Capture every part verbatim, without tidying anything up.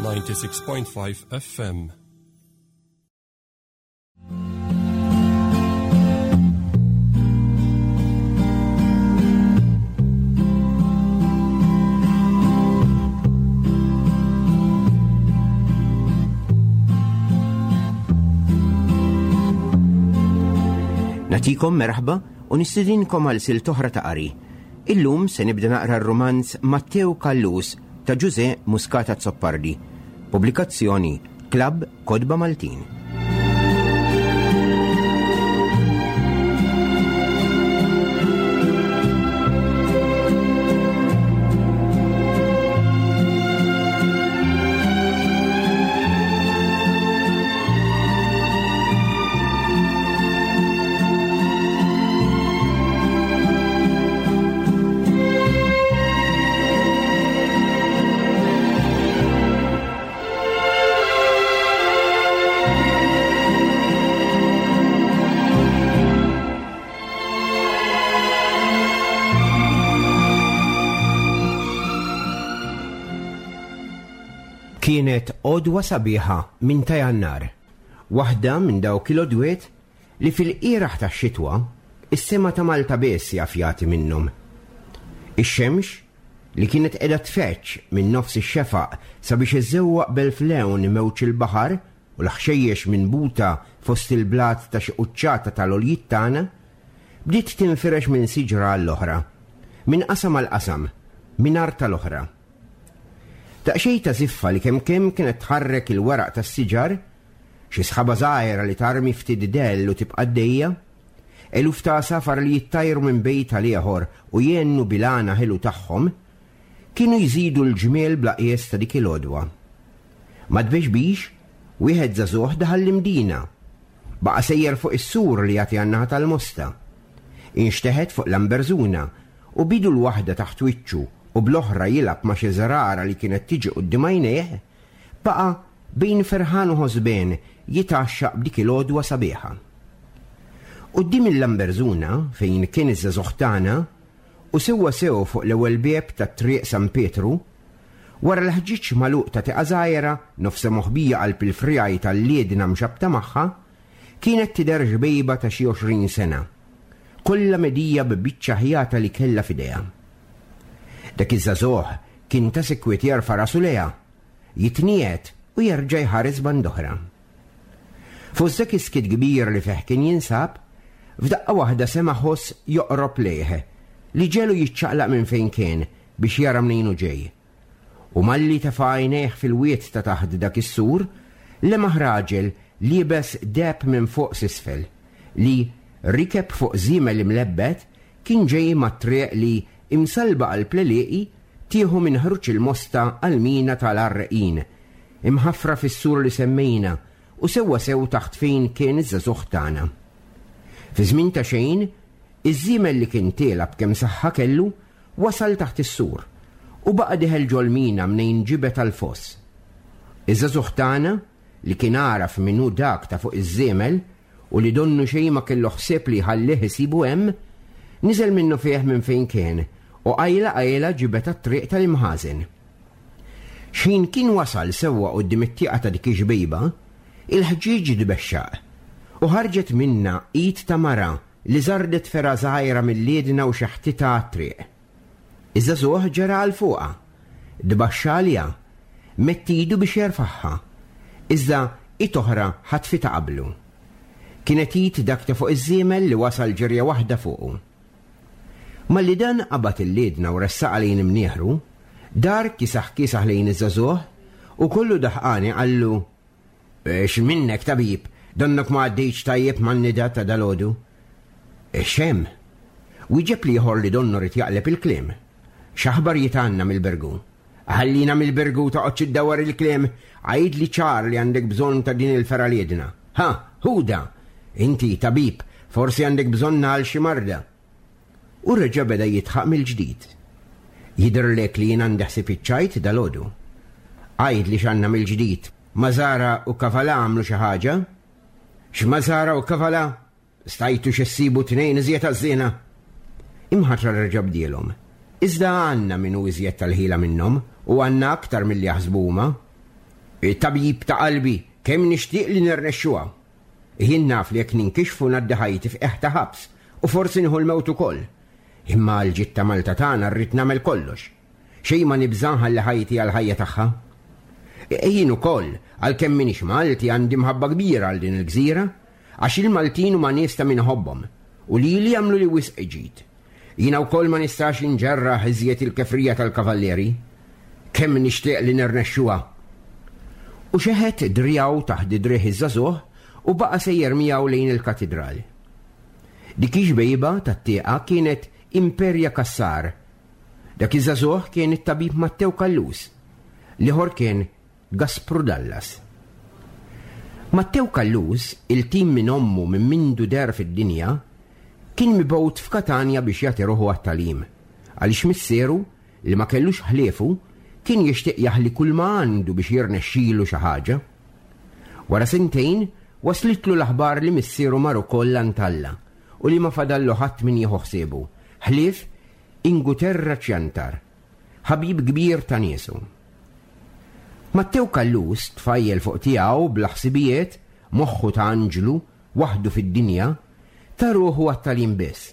ninety-six point five F M. Natikom merħba u nistedinkom għal silt oħra ta' qari. Illum se nibda naqra r-rumanz Matteo Callus ta' Ġużè Muscat Azzopardi. Pubblikazzjoni Klabb Kotba Maltin. Kienet għodwa sabiħa minn ta' Jannar, waħda minn dawk il-għodwiet li fil-qiraħ tax-xitwa is-sema ta' Malta biss jaf jagħti minnhom. Ix-xemx li kienet qiegħda tfeċċ minn nofs ix-xefaq sabiex iżewwaq b'elf lewn mewġ il-baħar u l-ħxejjex minn buta fost il-blat ta' xi quċċata tal-għoljiet tagħna, bdiet tinfirex minn siġra għall-oħra, minn qasam għal qasam, minn art tal-oħra. Daqsxejn ta' ziffa li kemm kemm kienet tħarrek il-weraq tas-siġar, xi sħaba żgħira li tarmi ftit dell u tibqa' għaddejja, eluf ta' għasafar li jittajru minn bejt għal ieħor u jgħennu bil-għana ħelu tagħhom, kienu jżidu l-ġmiel bla qies ta' dik il-għodwa. Ma tbexbix, wieħed żagħżugħ daħal l-Imdina, baqa' sejjer fuq is-sur li jagħti għan-naħa tal-Mosta. Inxteħet fuq Lamberżuna u bidu l-waħda taħt wiċċu u bl-oħra jilgħab ma' xi żrara li kienet tiġi quddiem għajnejh, baqa' bejn ferħan u ħosbien jitgħaxxaq b'dik il-għodwa sabiħa. Quddiem il-Lamberżuna fejn kien iż-żagħżugħ tagħna u sewwa sew fuq l-ewwel bieb tat-triq San Pietru, wara l-ħġieġ magħluq ta' tieqa żgħira nofsa moħbija qalb il-frijaj tal-liedna mxabta magħha, kienet tidher ġbejba ta' xi għoxrin sena, kollha medija b'biċċa ħjata li kellha f'idejha. Dak iż-żagħżugħ kien ta' sikwit jerfa' rasu lejha, jitniet u jerġa' jħares band'oħra. Fost dak is-skiet kbir li fih kien jinsab, f'daqqa waħda sema' ħoss joqrob lejh li ġelu jiċċaqlaq minn fejn kien biex jara mnejn hu ġej. U malli tefa' għajnejh fil-wied ta' taħt dak is-sur, lemaħ raġel liebes deheb minn fuq s'isfel li rikeb fuq żiemel imlebbet kien ġej mat-triq li imsalba għal pleliqi tieħu minn ħruġ il-Mosta għal mina tal-Għarreqin, imħaffra fis-sur li semmejna u sewwa sew taħt fejn kien iż-żagħżugħ tagħna. Fi żmien ta' xejn, iż-żiemel li kien tiela b'kemm saħħa kellu wasal taħt is-sur u baqa' diħel ġol-mina mnejn ġibet għall-foss. Iż-żagħżugħ tagħna li kien għaraf min hu dak ta' fuq iż-żiemel u li donnu xejn ma kellu ħsieb li jħallih isibu hemm, niżel minnu fih minn fejn kien u qajla qajla ġibet għat-triq tal-imħażen. X'ħin kien wasal sewwa quddiem it-tieqa ta' dik ix-xbejba, il-ħġieġ tbexxaq u ħarġet minna id ta' mara li żardet fergħa żgħira mill-liedna u xeħtitha għat-triq. Iż-żagħżugħ ġera għal fuqha, tbaxxa għaliha, mett idu biex jerfagħha, iżda id oħra ħatfitha qablu. Kienet id dak ta' fuq iż-żiemel li wasal ġirja waħda fuqu. Malli dan qabad il-liedna u ressaqha lejn imnieħru, dar kisaħ kisaħ lejn iż-żagħżugħ u kollu daħqani qallu: X' minnek tabib, donnok ma għaddejtx tajjeb man-nida ta' dalgħodu. X'hemm? Wieġeb l-ieħor li donnu rid jaqleb il-kliem. X'aħbarijiet għandna mill-Birgu? Ħallina mill-Birgu toqgħodx iddawwar il-kliem, għidli ċar li għandek bżonn ta' din il-fergħa liedna. Ha, ħuda! Inti tabib, forsi għandek bżonn għal xi marda. U reġa' beda jitħaq mill-ġdid. Jidhirlek li jien għandi ħsieb iċ-ċajt dalgħodu. Għid li x'għandna mill-ġdid, Mażara u Kavala għamlu xi ħaġa? X'Mażara u Kavala? Stajtu x'essibu tnejn iżjed għaż-żiena. Imħatra reġa' bdielhom. Iżda għandna min hu iżjed tal-ħila minnhom u għandna aktar milli jaħsbu huma. Tabib ta' qalbi, kemm nixtieq li nirnexxuha. Jien naf li jekk ninkixfu ngħaddi ħajti f'qiegħ ta' ħabs u forsi nieħu l-mewt ukoll. Imma għall-ġid ta' Malta tagħna rrid nagħmel kollox. Xejn ma nibża' nħalli ħajti għall-ħajja tagħha. Jien ukoll, għalkemm m'iniex Malti, għandi mħabba kbira għal din il-gżira, għax il-Maltin huma nies ta' min iħobbhom u lili għamluli wisq ġid. Jiena wkoll ma nistax inġerraħ iżjed il-kefrija tal-kavallieri. Kemm nixtieq li nirnexxuha. U xeħet driegħu taħt driegħ iż-żagħżugħ u baqa' sejjer miegħu lejn il-katidral. Dik ix-xbejba tat-tieqa kienet Imperja Cassar. Dak iż-żagħżugħ kien it-tabib Mattew Callus, l-ieħor kien Gaspru Dallas. Mattew Callus, iltim minn ommu minn mindu deher fid-dinja, kien mibgħut f'Katanja biex jagħti ruħu għat-tagħlim, għaliex missieru, li ma kellux ħliefu, kien jixtieq jaħli kull ma għandu biex jirnexxilu xi ħaġa. Wara sentejn, waslitlu l-aħbar li missieru mar ukoll għand Alla u li ma fadallu ħadd min jieħu ħsiebu, ħlief Inguterra Ċjantar, ħabib kbir ta' niesu. Mattew Callus, tfajjel fuq tiegħu bla ħsibijiet, moħħu ta' anġlu, waħdu fid-dinja, ta ruħu għat-tagħlim biss.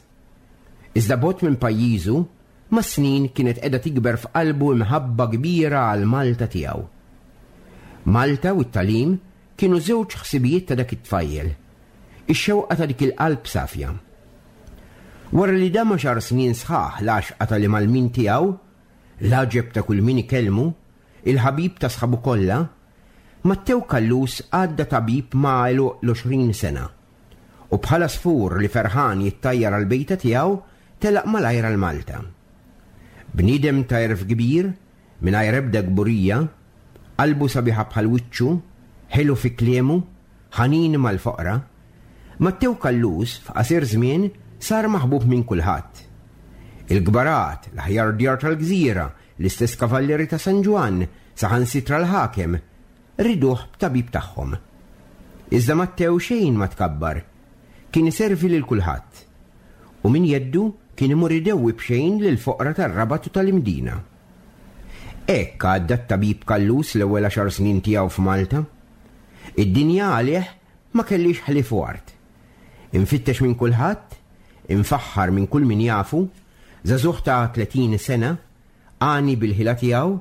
Iżda bogħod minn pajjiżu, mas-snin kienet qiegħda tikber f'qalbu imħabba kbira għal Malta tiegħu. Malta u t-tagħlim kienu żewġ ħsibijiet ta' dak it-tfajjel, ix-xewqa ta' dik il-qalb safja. Wara li dam għaxar snin sħaħ l-għaxqa tal-imgħallmin tiegħu, l-għaġeb ta' kull min ikellmu, il-ħabib ta' sħabu kollha, Mattew Callus għadda tabib ma' għeluq l-għoxrin sena. U bħala sfur li ferħan jittajjar għal-bejta tiegħu, telaq malajr għal Malta. Bniedem ta' għerf kbir, mingħajr ebda kburija, qalbu sabiħa bħal wiċċu, ħelu fi kliemu, ħanin mal-foqra, Mattew Callus f'qasir żmien sar maħbub minn kulħadd. Il-kbarat, l-aħjar djar tal-gżira, l-istess kavallieri ta' San Ġwann, saħansitra l-ħakem, riduh b'tabib tagħhom. Iżda Mattew xejn ma tkabbar, kien iservi lil kulħadd. U min jeddu kien imur idewwi b'xejn lil foqra tar-Rabat u tal-Imdina. Hekk għadda t-tabib Callus l-ewwel għaxar snin tiegħu f'Malta. Id-dinja għalih ma kellix ħlief u art. Infittex minn kulħadd, infaħħar minn kull min jafu, żagħżugħ ta' tletin sena, għani bil-ħila tiegħu,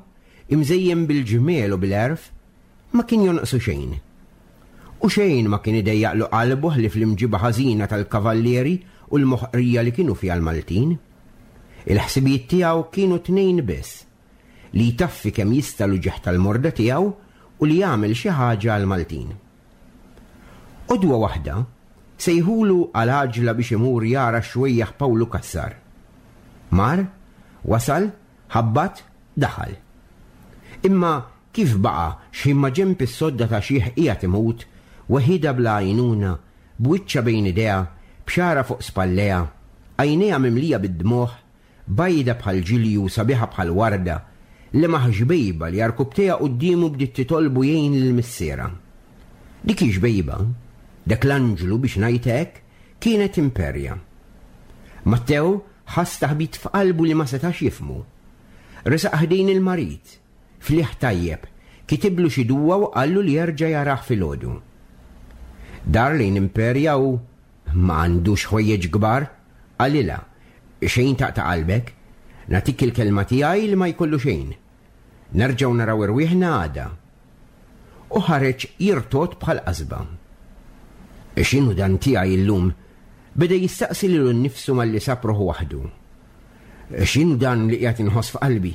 imżejjen bil-ġmiel u bil-għerf, ma kien jonqsu xejn. U xejn ma kien idejjaqlu qalbu ħlief l-imġiba ħażina tal-kavallieri u l-moħqrija li kienu fiha l-Maltin. Il-ħsibijiet tiegħu kienu tnejn biss, li jtaffi kemm jista' l-uġigħ tal-morda tiegħu u li jagħmel xi ħaġa għall-Maltin. Għodwa waħda sejħulu għal għaġla biex imur jara x-xwejjaħ Pawlu Cassar. Mar, wasal, ħabbat, daħal. Imma kif baqa' x'ħin ma ġenb is-sodda ta' xieħ qiegħed imut, weħida bla għajnuna, b'wiċċha bejn idejha, b'xara fuq spallejha, għajnejha mimlija bid-dmugħ, bajda bħal ġilju, sabiħa bħal warda, li maħ xbejba li arkubtejha quddiemu bdiet titolbu jgħin lil missiera. Dik ix-xbejba, dak l-anġlu biex ngħid hekk, kienet Imperja. Mattew ħass taħbit f'qalbu li ma setax jifhmu. Resaq ħdejn il-marid, fliħ tajjeb, kitiblu xi duwa u qallu li jerġa' jarah filgħodu. Dar lejn Imperja u ma għandux ħwejjeġ kbar, qalilha, xejn taqta' qalbek, nagħtik il-kelma tiegħi li ma jkollu xejn. Nerġgħu naraw irwieħna għada. U ħareġ jirtot bħal qasba. X'inhu dan tiegħi illum? Beda jistaqsi lilu nnifsu malli sab ruħu waħdu. X'inhu dan li qiegħed inħoss f'qalbi?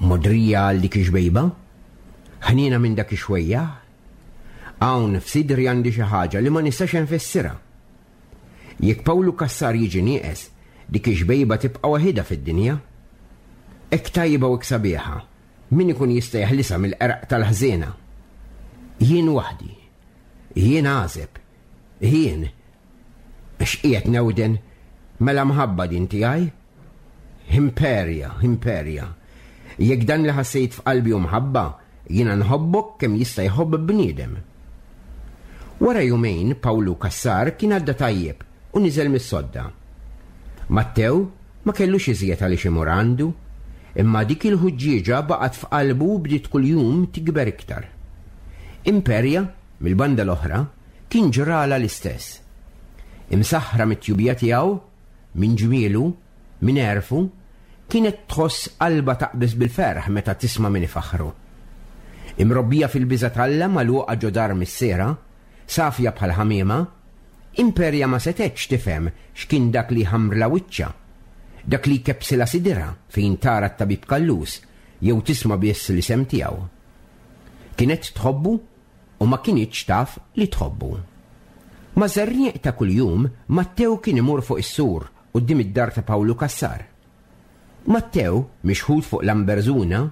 Modrija għal dik ix-xbejba? Ħniena minn dak ix-xwejjaħ? Hawn f'sidri għandi xi ħaġa li ma nistax nfissirha. Jekk Pawlu Cassar jiġi nieqes, dik ix-xbejba tibqa' waħidha fid-dinja. Hekk tajba u hekk sabiħa, min ikun jista' jeħlisha mill-qerq tal-ħżiena? Jien waħdi, jien għażeb, jien x'qiegħed newden mela mħabba din tiegħi? Imperja, Imperja, jekk dan li ħassejt f'qalbi hu mħabba, jiena nħobbok kemm jista' jħobb bniedem. Wara jumejn Pawlu Cassar kien għadda tajjeb u niżel mis-sodda. Mattew ma kellux iżjed għaliex imur għandu, imma dik il-ħuġġieġa baqgħet f'qalbu u bdiet kuljum tikber iktar. Imperja, mill-banda l-oħra, kien ġrala l-istess. Imsaħħra mit-tjubija tiegħu, minn ġmielu, minn għerfu, kienet tħoss qalbha taqbeż bil-ferħ meta tisma' min ifaħħru. Imrobbija fil-biża' t'Alla magħluqa ġo dar missierha, safja bħal ħamiema, Imperja ma setgħetx tifhem x'kien dak li ħamrla wiċċha, dak li kebbsilha sidirha fejn tara t-tabib Callus jew tisma' biss l-isem tiegħu. Kienet tħobbu u ma kinitx taf li tħobbu. Ma' żerniq ta' kuljum, Mattew kien imur fuq is-sur quddiem id-dar ta' Pawlu Cassar. Mattew, mixħut fuq Lamberzuna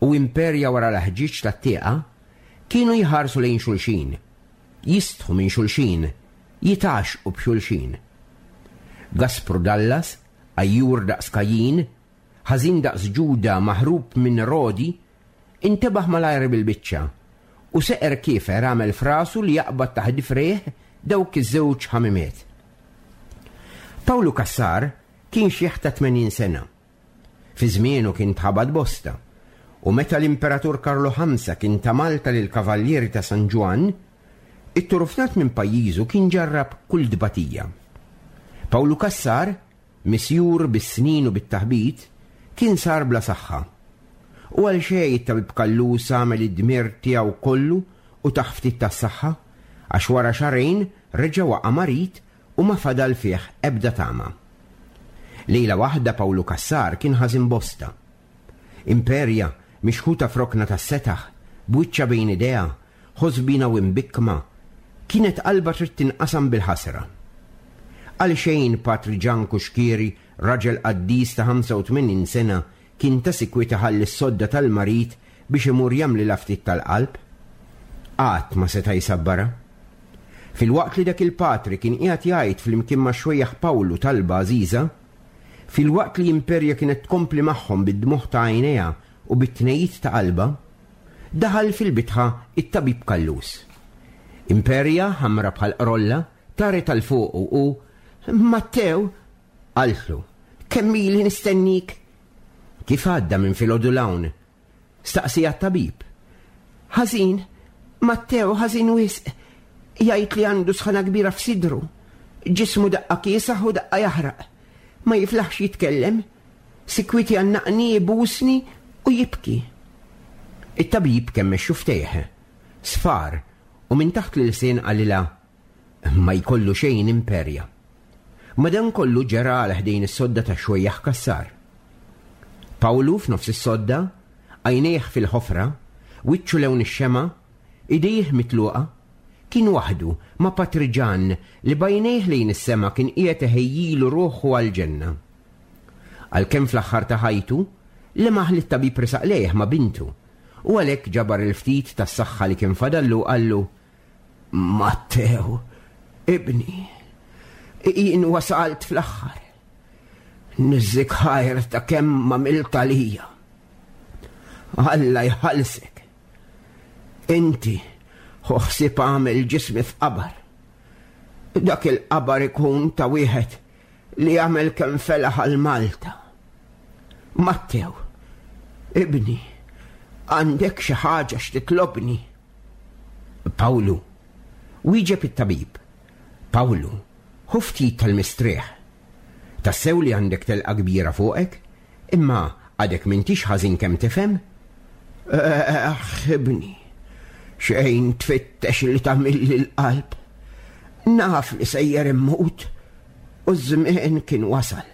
u Imperja wara l-ħġieġ tat-tieqa, kienu jħarsu lejn xulxin, jistħu minn xulxin, jitgħaxxqu b'xulxin. Gaspru Dallas, għajjur daqs Kajin, ħażin daqs Ġuda maħrub minn Rodi, intebaħ malajr bil-biċċa u seqer kiefer għamel frasu li jaqbad taħt frieħ dawk iż-żewġ ħamimiet. Pawlu Cassar kien xiħ ta' tmenin sena. Fi żmienu kien tħabad bosta, u meta l-Imperatur Karlu Ħamsa kien ta' Malta lil kavallieri ta' San Ġwann, it-turufnat minn pajjiżu kien ġarrab kull dbatija. Pawlu Cassar, misjur bis-snin u bit-taħbit, kien sar bla saħħa. U għal xejn it-tabib Callus għamel id-dmir tiegħu kollu u taħ ftit tas-saħħa, għax wara xahrejn reġa' waqa' marid u ma fadal fih ebda tama. Lejla waħda Pawlu Cassar kien ħażin bosta. Imperja, mixħuta f'rokna tas-setaħ, b'wiċċha bejn idejha, ħosbina u imbikkma, kienet qalbha trid tinqasam bil-ħasra. Għal xejn Patri Ġan Kuxkieri, raġel qaddis ta' ħamsa u tmenin sena, kien ta' sikwit iħalli s-sodda tal-marid biex imur jagħmlilha ftit tal-qalb. Qatt ma seta' jsabbara. Fil-waqt li dak il-patri kien qiegħed jgħid flimkien ma' xwejjaħ Pawlu talba għażiża, fil-waqt li Imperja kienet tkompli magħhom bid-dmuħ ta' għajnejha u bit-tnejjid ta' qalbha, daħal fil-bitħa it-tabib Callus. Imperja, ħamra bħal qrolla, taret għal fuqu u Mattew, qaltlu, kemm ili nistennik? Kif għadda minn filgħodu l-hawn? Staqsija t-tabib. Ħażin, Mattew, ħażin wisq. Jgħid li għandu sħana kbira f'sidru. Ġismu daqqa kiesaħ u daqqa jaħraq. Ma jiflaħx jitkellem. Sikwiti għannaqni, jibusni u jibki. It-tabib kemmex xuftejh, sfar, u minn taħt l-ilsien qalilha, ma jkollu xejn Imperja. Madankollu ġera għal ħdejn is-sodda ta' xwejjaħ Cassar. Pawlu f'nofs is-sodda, għajnejh fil-ħofra, wiċċu lewn ix-xema, idejh mitluqa, kien waħdu ma' Patri Ġan li bajnejh lejn is-sema kien qiegħed iħejjilu ruħu għall-ġenna. Għalkemm fl-aħħar ta' ħajtu, lemaħ li t-tabib resaq lejh ma' bintu, u għalhekk ġabar il-ftit tas-saħħa li kien fadallu qallu, Mattew, ibni, jien wasalt fl-aħħar. Niżżik ħajr ta' kemm m'għamilt għalija. Alla jħallsek. Inti ħu ħsieb għamel ġismi f'qabar. Dak il-qabar ikun ta' wieħed li għamel kemm felaħ għal Malta. Mattew, ibni, għandek xi ħaġa x'titlobni? Pawlu, wieġeb it-tabib. Pawlu, ħu ftit tal-mistrieħ. Tassew li għandek telqa kbira fuqek, imma għadek m'intix ħażin kemm tifhem? Aħ, ibni, xejn tfittex li tagħmilli l-qalb. Naf li sejjer immut u ż-żmien kien wasal.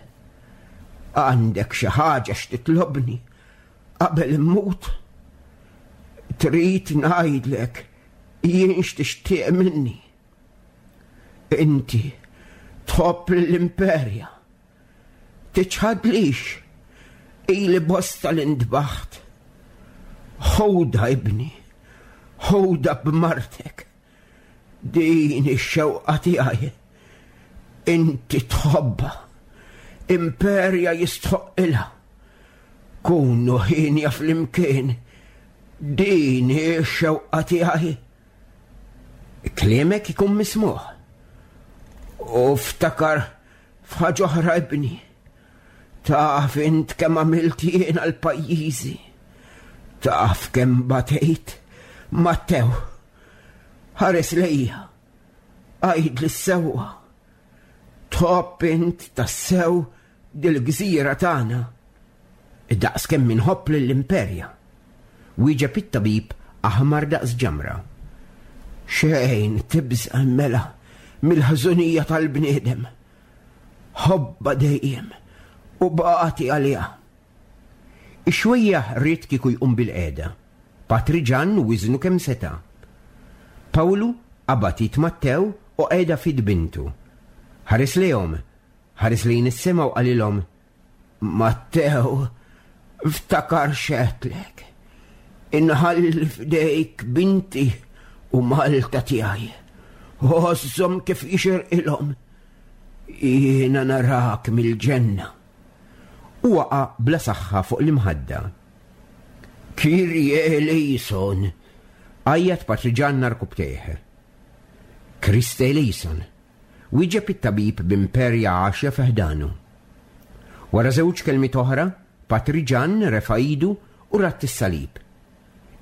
Għandek xi ħaġa x'titlobni qabel immut? Trid ngħidlek jien x'tixtieq minni? Inti tħobb l-Imperja. Tiċħadlix ili bosta l-indbaħt. Ħuda ibni, ħuda b'martek. Din ix-xewqa tiegħi. Inti tħobbha. Imperja jistħoqilha. Kunu ħinja flimkien. Din ix-xewqa tiegħi. Kliemek ikun mismuħ. U ftakar f'ħaġa oħra ibni. Taf int kemm għamilt jien għal pajjiżi. Taf kemm batejt. Mattew, Ħares lejja, għidli s-sewwa. Tħobb int tassew dil-gżira tagħna. Daqs kemm inħobb lill-Imperja. Wieġeb it-tabib aħmar daqs ġamra. Xejn tibża' mela mill-ħżunija tal-bniedem. Ħobba dejjem u bati għaliha. Ix-xwejjaħ ried kieku jqum bil-qiegħda. Patri Ġann wiżnu kemm seta'. Pawlu qabad id Mattew u qiegħda f'id bintu. Ħares lejhom, ħares lejn is-sema u qalilhom, Mattew, ftakar x'għedtlek. Inħalli f'dejk binti u Malta tiegħi. Għożżhom kif jixirqilhom. Jiena narak mill-ġenna. U waqa' bla saħħa fuq l-imħadda. Kyrie eleison, għajjat Patri Ġann għarkupptejh. Christe eleison, wieġeb it-tabib b'imperja għaxja fi ħdanu. Wara żewġ kelmiet oħra, Patri Ġann refa' idu u radd is-salib.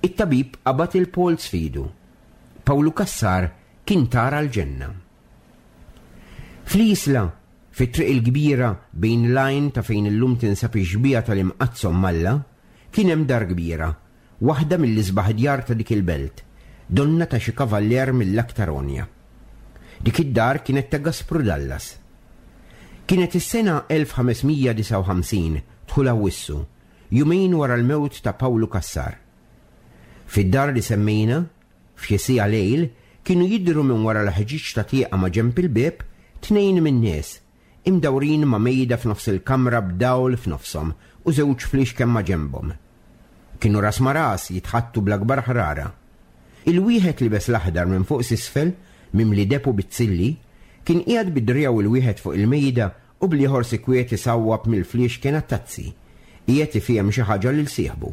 It-tabib qabad il-polz f'idu. Pawlu Cassar kien tar għall-ġenna. Fl-Isla, fit-triq il-kbira bejn l-għajn ta' fejn illum tinsab ix-xbieha tal-Imqaddsa Omm Alla, kien hemm dar kbira, waħda mill-isbaħ djar ta' dik il-belt, donna ta' xi kavallier mill-aktar għonja. Dik id-dar kienet ta' Gaspru Dallas. Kienet is-sena elf ħames mija disgħa u ħamsin, dħul Awwissu, jumejn wara l-mewt ta' Pawlu Cassar. Fid-dar li semmejna, f'xi siegħa lejl, kienu jidhru minn wara l-ħġieġ ta' tieqa ma' ġenb il-bieb tnejn min-nies, imdawrin ma' mejda f'nofs il-kamra b'dawl f'nofshom u żewġ fliexken ma' ġenbhom. Kienu ras ma' ras jitħattu bl-akbar ħrara. Il-wieħed libes l-aħdar minn fuq s'isfel, mimli depu bizzilli, kien qiegħed bidriegħu il-wieħed fuq il-mejda u bl-ieħor sikwiet isawwab mill-fliexken għat-tazzi, qiegħed ifhem xi ħaġa lil sieħbu.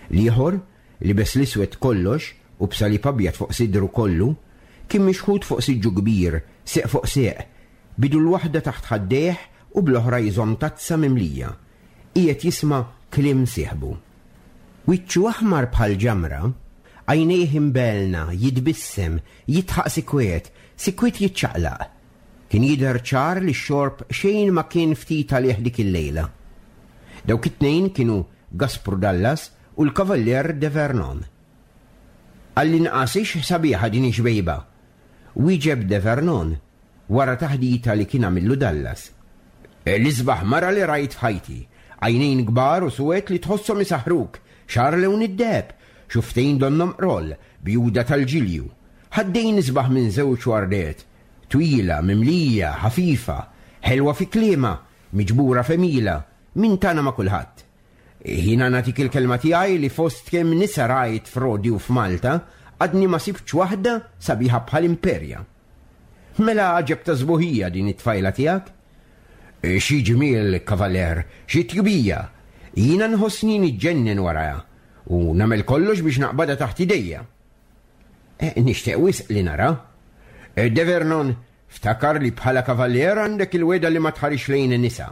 L-ieħor, libes l-iswed kollox u b'salib abjad fuq sidru kollu, kien mixħut fuq siġġu kbir, seq fuq seq, bidu l-waħda taħt ħaddejh u bl-oħra jżomm tazza mimlija. Qiegħed jisma' kliem sieħbu. Wiċċu aħmar bħal ġamra, għajnejh imbelna, jitbissem, jitħaq sikwiet, sikwiet jiċċaqlaq. Kien jidher ċar li x-xorb xejn ma kien ftit għalih dik il-lejla. Dawk it-tnejn kienu Gaspru Dallas u l-Kavallier de Vernon. Għall-inqas ix sabiħa din ix-xbejba, wieġeb de Vernon wara taħdita li kien għamillu Dallas. L-isbaħ mara li rajt f'ħajti, għajnejn kbar u suwed li tħosshom isaħruk, xagħar lewn id-deheb, xuftejn donnom qroll, bjuda tal-ġilju, ħaddejn isbaħ minn żewġ wardiet, twila, mimlija, ħafifa, ħelwa fi kliema, miġbura f'emila, min tana ma' kulħadd. Jiena nagħtik il-kelma tiegħi li fost kemm nisa rajt f'Rodi u f'Malta, għadni ma sibtx waħda sabiħa bħal Imperja. Mela għaġeb ta' sbuħija din it-tfajla tiegħek? Xi ġmiel, kavaler, xi tjubija, jiena nħossni niġġennen warajha u nagħmel kollox biex naqbadha taħt idejja. E, nixtieq wisq li nara. E, De Vernon, ftakar li bħala kavallier għandek il-weda li ma tħarix lejn in-nisa.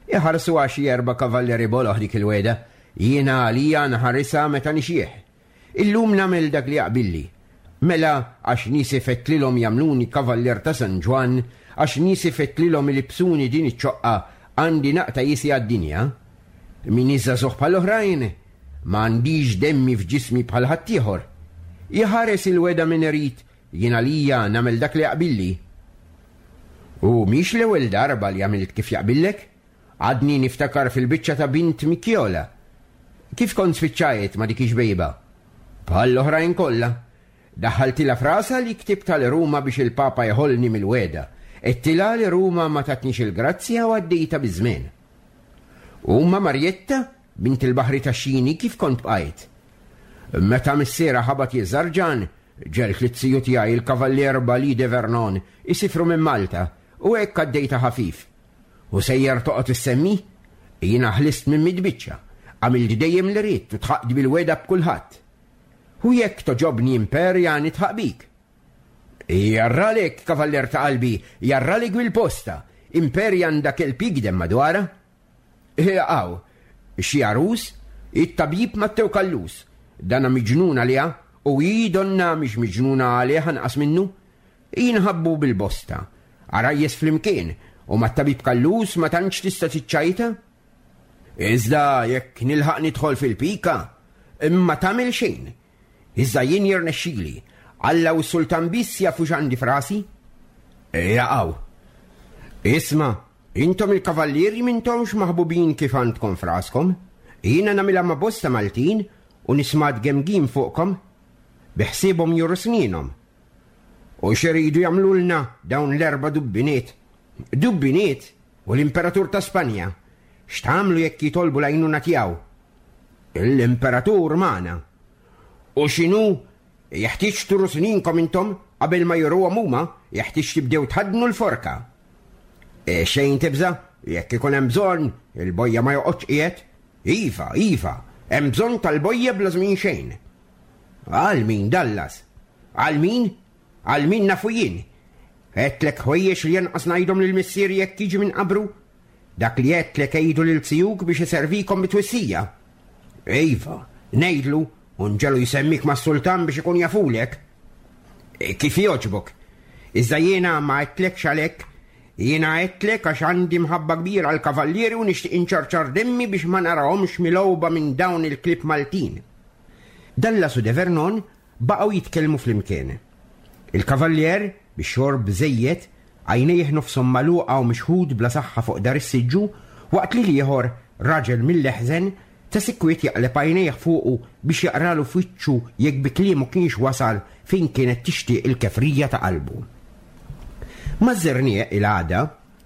Iħarsu għax erba' kavallieri boloh dik il-weda, jiena għalija nħarisha meta nixjieħ. Illum nagħmel dak li jaqbilli. Mela għax niesi fettlilhom jagħmluni kavallier ta' San Ġwann, għax niesi fettlilhom ilibsuni din iċ-ċoqqa, għandi naqta' jisi għad-dinja. Min iżżagħżugħ bħall-oħrajn, ma għandix demmi f'ġismi bħal ħaddieħor. Iħares il-weda min irid, jien għalija nagħmel dak li jaqbilli. U mhix l-ewwel darba li għamilt kif jaqbillek? Għadni niftakar fil-biċċa ta' bint Mikjola. Kif kont spiċċajt ma' dik ix-xbejba? Bħall-oħrajn kollha. Daħħaltilha frasa li ktibt għal Ruma biex il-Papa jħollni mill-weda. Għedtilha li Ruma ma tatnix il-grazzja u għaddejta biż-żmien. U ma Marjetta, bint il-baħri tax-xini, kif kont bqajt? Meta missiera ħabat jiżarġan, ġelt li t-siju tiegħi il-Kavallier Bali de Vernon isifru minn Malta u hekk għaddejta ħafif. U sejjer toqgħod issemmi? Jiena ħlist minn midbiċċa, għamilt dejjem li ridt u tħaqt bil-weda b'kulħadd. U jekk toġobni Imperja nitħaq bik. Jarralek, kavallier ta' qalbi, jarralek bil-posta. Imperja għandha kelb jigdem madwarha. Għaw, xi għarus, it-tabib Mattew Kallus, dana miġnun għaliha U hi donna mhix miġnuna għalih anqas minnu. Jinħabbu bil-bosta. Għarajjes flimkien u mat-tabib Kallus ma tantx tista' tiċċajta. Iżda jekk nilħaq nidħol fil-pika, imma tagħmel xejn. Iżda jien jirnexxili. Alla u s-sultan biss jafu x'għandi f'rasi. Jaqaw. Isma', intom il-kavallieri m'intomx maħbubin kif għandkom f'raskom. Jiena nagħmilha ma' bosta Maltin u nisma' tgemgim fuqkom. Biħsiebhom juru sninhom. U x'iridu jagħmlulna dawn l-erba' dubbiniet? Dubbiniet u l-Imperatur ta' Spanja. X'tagħmlu jekk jitolbu l-għajnuna tiegħu? L-Imperatur magħna. U x'inhu jeħtieġ turu sninkom intom qabel ma juruhom huma, jeħtieġ tibdew tħaddnu l-forka. E xejn tibża', jekk ikun hemm bżonn, il-bojja ma joqgħodx qiegħed. Iva, iva, hemm bżonn tal-bojja bla żmien xejn. Għal min Dallas? Għal min? Għal min nafu jien? Għedtlek ħwejjeġ li janqas ngħidhom lil missieri jekk jiġi minn qabru? Dak li għedtlek għidu lil zijuk biex iservikom bitwissija. Iva, ngħidlu u nġelu jsemmik mas-sultan biex ikun jafulek. E, kif jogħġbok? Iżda jiena ma għedtlekx għalhekk, jiena għedtlek għax għandi mħabba kbira għal kavallieri u nixtieq inċarċar demmi biex ma narahomx milgħuba minn dawn il-klieb Maltin. Dallas u De Vernon baqgħu jitkellmu flimkien. Il-kavallier, bix-xorb żejjed, għajnejh nofshom magħluqa u mixħut bla saħħa fuq dar is-siġġu, waqt li l-ieħor, raġel mill-eħżen, ta' sikwit jaqleb għajnejh fuqu biex jaqralu f'wiċċu jekk bi kliemu kienx wasal fejn kienet tixtieq il-kefrija ta' qalbu. Maż-żerniq il-għada,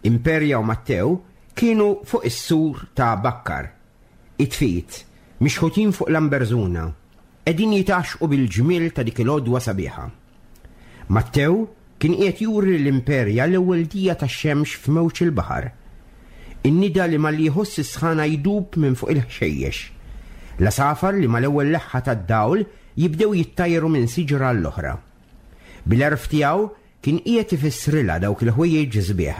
Imperia u Mattew kienu fuq is-sur ta' Bakkar. It-tfit, mixħutin fuq Lamberżuna, qegħdin jitgħaxxqu bil-ġmiel ta' dik il-għodwa sabiħa. Mattew kien qiegħed juri l-Imperia l-ewwel dija tax-xemx f'mewġ il-baħar. In-nida li malli jħoss is-sħana jdub minn fuq il-ħxejjex. L-għasafar li mal-ewwel leħħa tad-dawl jibdew jittajru minn siġra għall-oħra. Bil-għerf tiegħu kien qiegħed ifissrilha dawk il-ħwejjeġ sbieħ,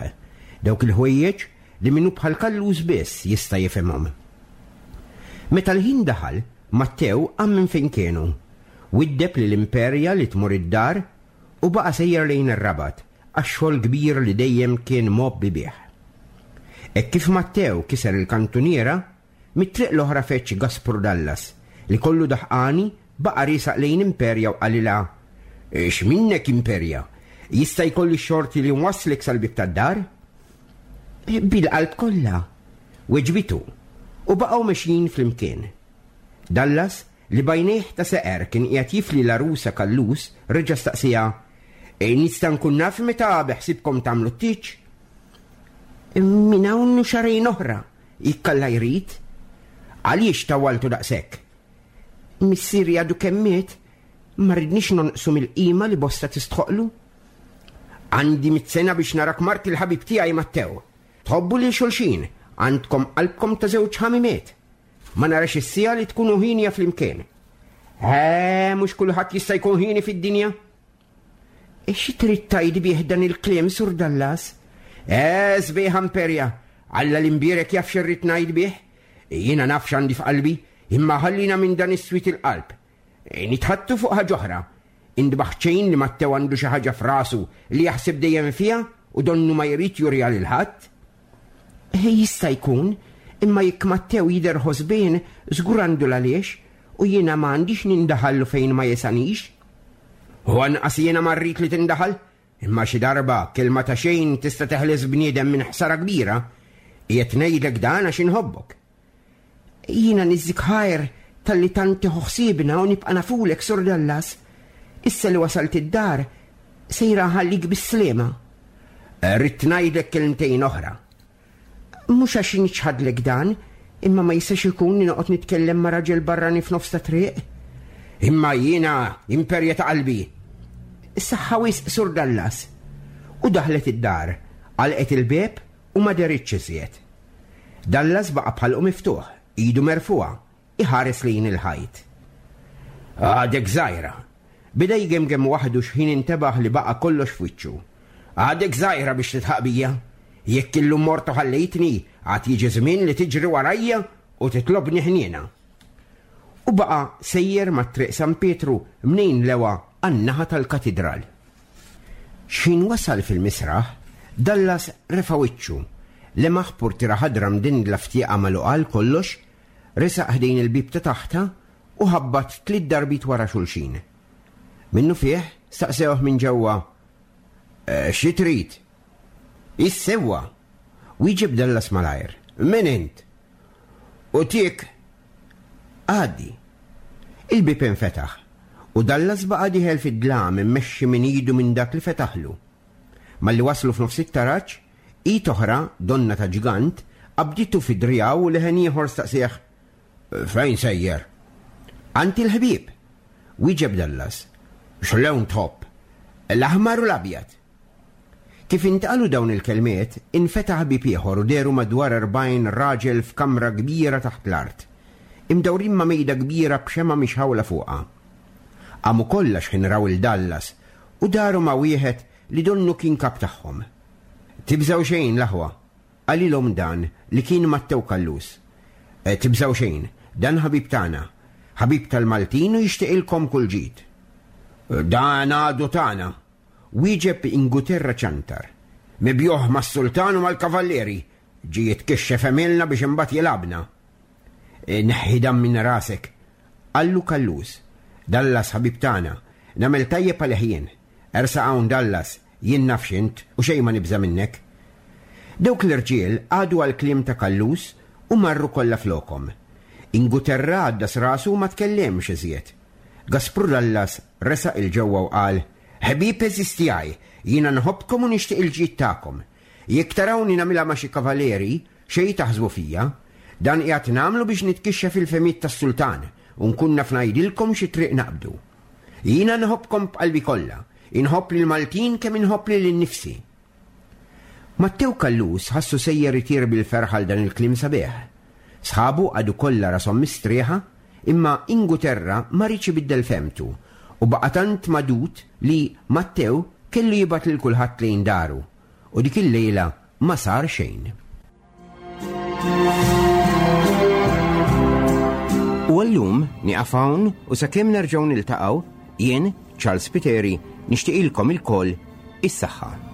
dawk il-ħwejjeġ li minnu bħal Kallus biss jista' jifhimhom. Meta l-ħin daħal, Mattew qam minn fejn kienu, widdeb lil Imperia li tmur id-dar u baqa' sejjer lejn ir-Rabat għax-xogħol kbir li dejjem kien mgħobbi bih. Hekk kif Mattew kiser il-kantuniera, mit-triq l-oħra feċ Gaspru Dallas li kollu daħqani baqa' riesaq lejn Imperia u qalilha: X'minnek Imperia? Jista' jkolli x-xorti li nwasslek sal-bieb tad-dar? Bil-qalb kollha, weġbitu, u baqgħu mexjin flimkien. Dallas, li b'għajnejh ta' seqer kien qiegħed jifli l-għarusa Kallus, reġa' staqsiha: E nista' nkun naf meta beħsibkom tagħmlu t-tieġ? Minn hawn u xahrejn oħra, jekk Alla jrid. Għaliex tawaltu daqshekk? Missieri għadu kemm miet, ma rridniex nonqsu mill-qima li bosta tistħoqlu. Għandi mitt sena biex narak mart il-ħabib tiegħi Mattew. Tħobbu lil xulxin, għandkom qalbkom ta' żewġ ħamimiet. Ma narax is-siegħa li tkunu ħinja flimkien. Eh, mhux kulħadd jista' jkun ħini fid-dinja. E xi trid tgħid bih dan il-kliem, Sur Dallas? Eh, sbieħ Imperia, Alla l-imbierek jaf x'irrid ngħid bih. Jiena naf x'għandi f'qalbi, imma ħallina minn dan is-swied il-qalb. E, nitħattu fuq ħaġa oħra. Indbaħ xejn li Mattew għandu xi ħaġa f'rasu li jaħseb dejjem fiha u donnu ma jrid juriha lil ħadd. E, jista' jkun, imma jekk Mattew jidher ħosbien, żgur għandu l-għaliex, u jiena ma għandix nindaħallu fejn ma jesanix. U anqas jiena ma rrid li tindaħal, imma xi darba kelma ta' xejn tista' teħles bniedem minn ħsara kbira. Qiegħed ngħidlek dan għax inħobbok. Jiena niżżik ħajr talli tant tieħu ħsiebna u nibqa' nafulek, Sur Dallas. Issa li wasalt id-dar, sejra nħallik bis-sliema. Rrid ngħidlek kelmtejn oħra. Mhux għax niċħadlek dan, imma ma jistax ikun li noqgħod nitkellem ma' raġel barrani f'nofs ta' triq. Imma jiena Imperja ta' qalbi. Saħħa wisq, Sur Dallas. U daħlet id-dar, għalqet il-bieb u ma deritx iżjed. Dallas baqa' bħalqu miftuħ, idu merfugħa, iħares lejn il-ħajt. Għadek żgħira. Bida jgemgem waħdu x'ħin intebaħ li baqa' kollox f'wiċċu. Għadek żgħira biex titħaq bija. Jekk illum mort u ħallejtni, għad jiġi żmien li tiġri warajja u titlobni ħniena. U baqa' sejjer ma' Triq San Pietru mnejn lewa għan-naħa tal-katidral. X'ħin wasal fil-misraħ, Dallas refa' wiċċu, lemaħ purtiera ħadra mdendla f'tieqa magħluqa għal kollox, resaq ħdejn il-bieb ta' taħtha u ħabbat tliet darbiet wara xulxin. Minnufih staqsewh minn ġewwa, "Xi trid?" "Is-sewwa," wieġeb Dallas malajr. "Min int?" "U tik?" "Għaddi." Il-bieb infetaħ u Dallas baqa' dieħel fid-dlam immexxi minn idu minn dak li fetaħlu. Malli waslu f'nofs it-taraġ, id oħra, donna ta' ġgant, qabditu fi driegħu u leħen ieħor staqsih, "Fejn sejjer?" "Għand il-ħbieb," wieġeb Dallas. "X'lewn tħobb?" "L-aħmar u l-abjad." Kif intqalu dawn il-kelmiet, infetaħ bieb ieħor u dehru madwar erbgħin raġel f'kamra kbira taħt l-art, imdawrin ma' mejda kbira b'xemgħa mixħawla fuqha. Qamu kollha x'ħin raw il Dallas u daru ma' wieħed li donnu kien kap tagħhom. "Tibżgħu xejn, l-aħwa," qalilhom dan li kien Mattew Callus. "Tibżgħu xejn, dan ħabib tagħna, ħabib tal-Maltin u jixtieqilkom kull ġid." "Dan għadu tagħna," wieġeb Inguterra Ċantar. "Mibjuħ mas-sultan u mal-kavallieri, ġie jitkixxef għemilna biex imbagħad jilgħabna." "Neħħi dan minn rasek," qallu Callus. "Dallas ħabib tagħna, nagħmel tajjeb għalih jien. Ersaq hawn Dallas, jien naf x'int u xejn ma nibża' minnek." Dawk l-irġiel għadu għall-kliem ta' Callus u marru kollha flokhom. Inguterra għaddas rasu u ma tkellimx iżjed. Gaspru Dallas resaq il-ġewwa u qal, "Ħbieb għeżież tiegħi, jiena nħobbkom u nixtieq il-ġid tagħkom. Jekk tarawni nagħmilha ma' xi kavaleri, xejn taħsbu fija. Dan qiegħed nagħmlu biex nitkixxef il-fehmiet tas-sultan u nkun naf ngħidilkom xi triq naqbdu. Jiena nħobbkom b'qalbi kollha, inħobb lil Maltin kemm inħobb lil innifsi." Mattew Callus ħassu sejjer itir bil-ferħ għal dan il-kliem sabiħ. Sħabu għadu kollha rashom mistrieħa, imma Inguterra ma riedx ibiddel fehmtu u baqa' tant madud li Mattew kellu jibgħat lil kulħadd lejn daru u dik il-lejla ma sar xejn. U għallum nieqaf hawn u sakemm nerġgħu niltaqgħu, jien, Charles Spiteri, nixtieqilkom ilkoll is-saħħa.